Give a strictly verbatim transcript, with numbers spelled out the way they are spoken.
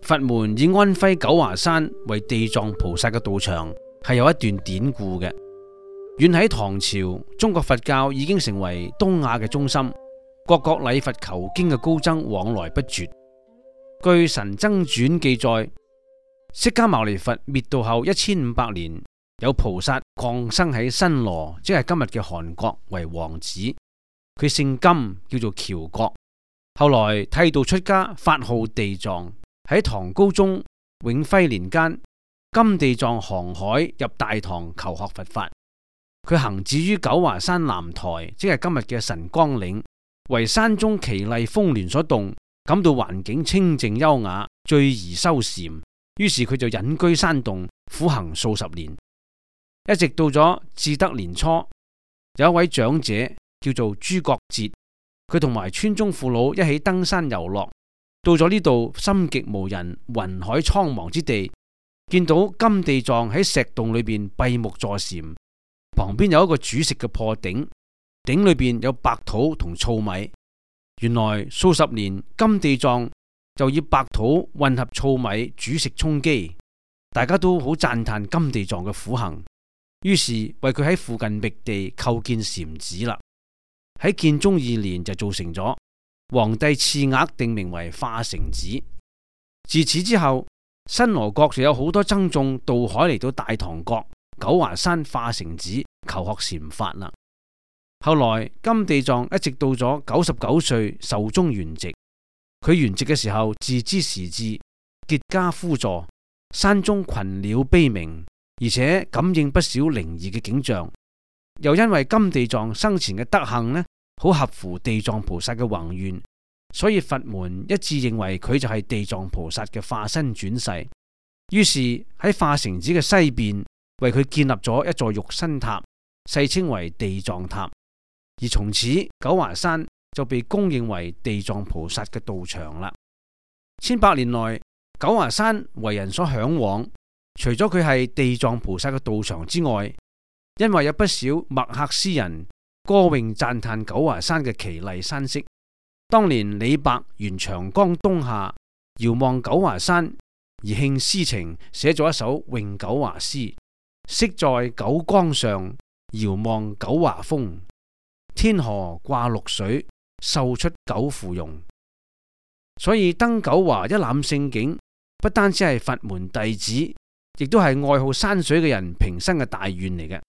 佛門以安徽九華山為地藏菩薩嘅道場，係有一段典故嘅。遠喺唐朝，中國佛教已經成為東亞嘅中心，各國禮佛求經嘅高僧往來不絕。據《神僧傳》記載，釋迦牟尼佛滅度後一千五百年，有菩薩降生喺新羅，即係今日嘅韓國，為王子。佢姓金，叫做喬國。後來剃度出家，法號地藏。喺唐高宗永徽年間，金地藏航海入大唐求學佛法。佢行止於九華山南台，即係今日嘅神光嶺，為山中奇麗峰巒所動，感到環境清靜優雅，最宜修禪。於是佢就隱居山洞，苦行數十年，一直到咗至德年初，有一位長者叫做朱國哲，佢同埋村中父老一起登山遊樂。到咗呢度，心極無人，雲海蒼茫之地，見到金地藏喺石洞裏邊閉目坐禪，旁邊有一個煮食嘅破鼎，鼎裏邊有白土同糙米。原來數十年，金地藏就以白土混合糙米煮食充飢，大家都好讚嘆金地藏嘅苦行，於是為佢喺附近覓地構建禪寺啦。喺建中二年就造成咗。皇帝賜額定名為化城寺。自此之後，新羅國就有好多僧眾渡海嚟到大唐國九華山化城寺求學禪法啦。後來金地藏一直到咗九十九歲壽終圓寂。佢圓寂嘅時候，自知時至，結跏趺坐，山中群鳥悲鳴，而且感應不少靈異嘅景象。又因為金地藏生前嘅德行呢，好合乎地藏菩薩嘅宏願，所以佛門一致認為佢就係地藏菩薩嘅化身轉世。於是喺化城寺嘅西邊為佢建立咗一座玉身塔，世稱為地藏塔。而從此九華山就被公認為地藏菩薩嘅道場啦。千百年來，九華山為人所向往，除咗佢係地藏菩薩嘅道場之外，因為有不少墨客詩人歌詠讚嘆九華山嘅奇麗山色。當年李白沿長江東下，遙望九華山而興詩情，寫咗一首詠九華詩：昔在九江上，遙望九華峰。天河掛綠水，秀出九芙蓉。所以登九華一覽勝景，不單止係佛門弟子，亦都係愛好山水嘅人平生嘅大願嚟嘅。